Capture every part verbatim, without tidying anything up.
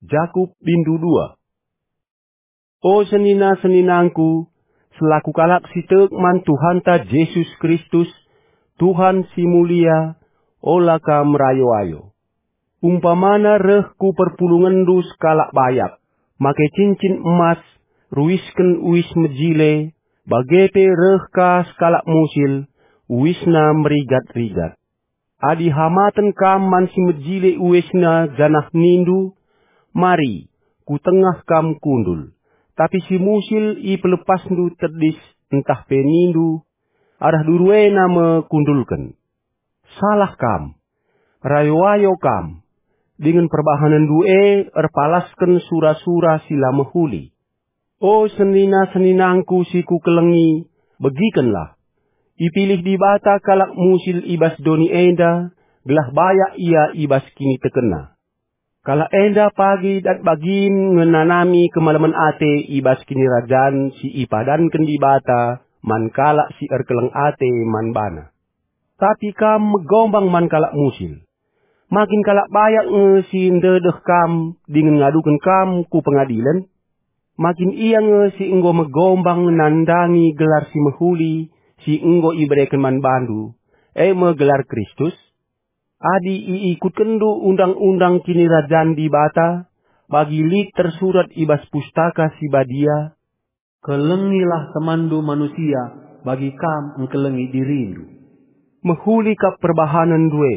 Jakup bindu dua. O senina-seninangku, selaku kalak si tek man Tuhanta Jesus Kristus, Tuhan si mulia, ola kam rayo-ayo. Umpamana reh ku perpulungenndu sekalak bayak, make cincin emas, ruisken uis mejile, bage pe reh ka sekalak musil, uisna merigat-rigat. Adi hamaten kam man si mejile uisna janah nindu, "Mari, ku tengah kam kundul," tapi si musil ipelepasndu tedis ntah pe nindu, "Arah duru ena me kundulken." Salah kam. Rayo-ayo kam. Dingen perbahanenndu e erpalasken sura-sura si la mehuli. O senina-seninangku si kukelengi, begikenlah. Ipilih Dibata kalak musil i bas doni enda, gelah bayak ia i bas kinitekenna. Kalak enda pagi dat bagin ngenanami kemalemen ate i bas kinirajan si ipadanken Dibata man kalak si erkeleng ate man bana. Tapi kam megombang man kalak musil. Makin kalak bayak nge si ndedeh kam dingen ngaduken kam ku pengadilen? Makin ia nge si enggo megombang nandangi gelar si mehuli si enggo ibereken man bandu, e me gelar Kristus? Adi iikutkenndu undang-undang kinirajan Dibata, bagi lit tersurat i bas Pustaka Si Badia, "Kelengilah temanndu manusia bagi kam engkelengi dirindu." Mehuli kap perbahanenndu e.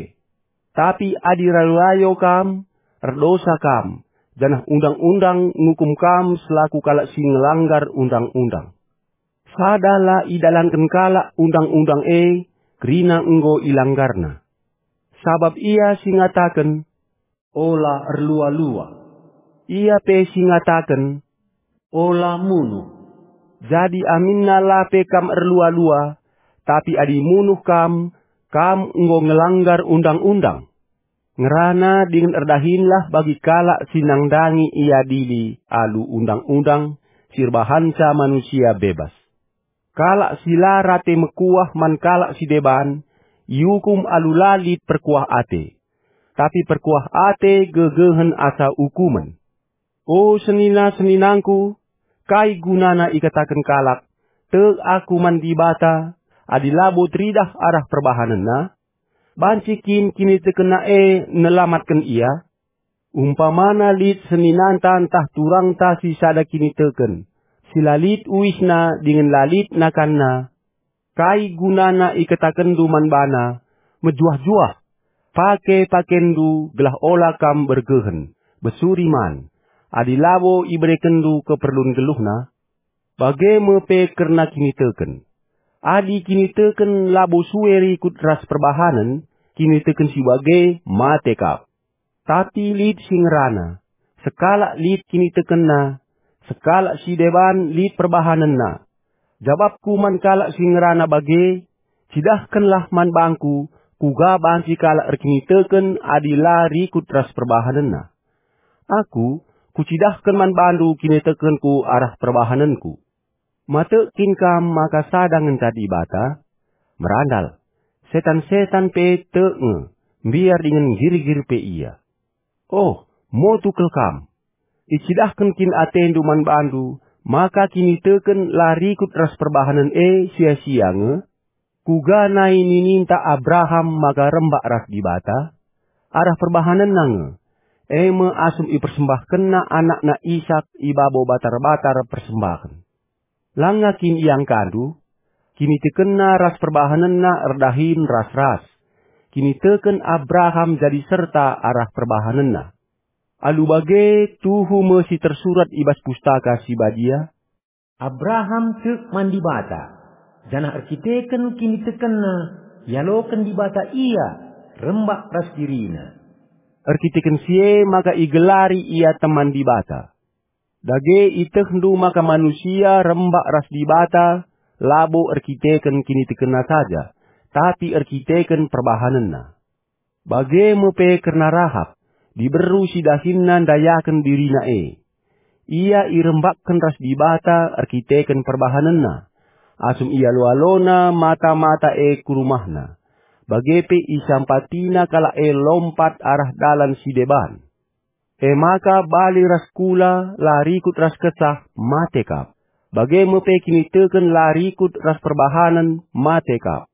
Tapi adi rayo-rayo kam, erdosa kam, janah undang-undang ngukum kam selaku kalak si ngelanggar undang-undang. Sada la idalanken kalak undang-undang e, kerina enggo ilanggarna. Sabap ia si ngataken, "Ola erlua-lua." Ia pe si ngataken, "Ola munuh." Jadi aminna la pe kam erlua-lua, tapi adi munuh kam, kam enggo ngelanggar undang-undang. Ngerana dingen erdahinlah bagi kalak si nandangi iadili alu undang-undang si erbahanca manusia bebas. Kalak si la rate mekuah man kalak si deban, iukum alu la lit perkuah ate. Tapi perkuah ate gegehen asa ukumen. O senina-seninangku, kai gunana ikataken kalak, "Tek aku man Dibata," adi labo teridah arah perbahanenna? Banci kin kinitekenna e nelamatken ia? Umpamana lit seninanta ntah turangta si sada kiniteken, si la lit uisna dingen la lit nakanna, kai gunana iketakenndu man bana, "Mejuah-juah, pake pakenndu gelah ola kam bergehen, besuri man," adi labo iberekenndu keperlun geluhna? Bage me pe kerna kiniteken. Adi kiniteken labo sue rikut ras perbahanen, kiniteken si bage mate kap. Tapi lit si ngerana, sekalak lit kinitekenna, sekalak si deban lit perbahanenna. Jabapku man kalak si ngerana bage, cidahkenlah man bangku, kuga banci kalak erkiniteken adi la rikut ras perbahanenna. Aku, kucidahken man bandu kinitekenku arah perbahanenku. Matek kin kam maka sada ngenca Dibata? Merandal, setan-setan pe tek nge, mbiar dingen nggirgir pe ia. Oh, motu kal kam! Icidahken kin atendu man bandu maka kiniteken la rikut ras perbahanen e sia-sia nge? Kuga nai nininta Abraham maka rembak ras Dibata? Arah perbahanenna nge, e me asum ipersembahkenna anakna Isak i babo batar-batar persembahen. Langa kin iangkandu? Kinitekenna ras perbahanenna erdahin ras-ras. Kiniteken Abraham jadi serta arah perbahanenna. Alu bage tuhu me si tersurat i bas Pustaka Si Badia, "Abraham tek man Dibata, janah erkiteken kinitekenna ialoken Dibata ia rembak ras dirina." Erkiteken si e maka igelari ia teman Dibata. Dage itehndu maka manusia rembak ras Dibata labo erkiteken kinitekenna saja, tapi erkiteken perbahanenna. Bage me pe kerna Rahap, diberu si dahinna ndayaken dirina e. Ia irembakken ras Dibata erkiteken perbahanenna, asum ialo-alona mata-mata e ku rumahna, bage pe isampatina kalak e lompat arah dalan si deban. E maka bali ras kula la rikut ras Kesah, mate kap. Bage me pe kiniteken la rikut ras perbahanen, mate kap.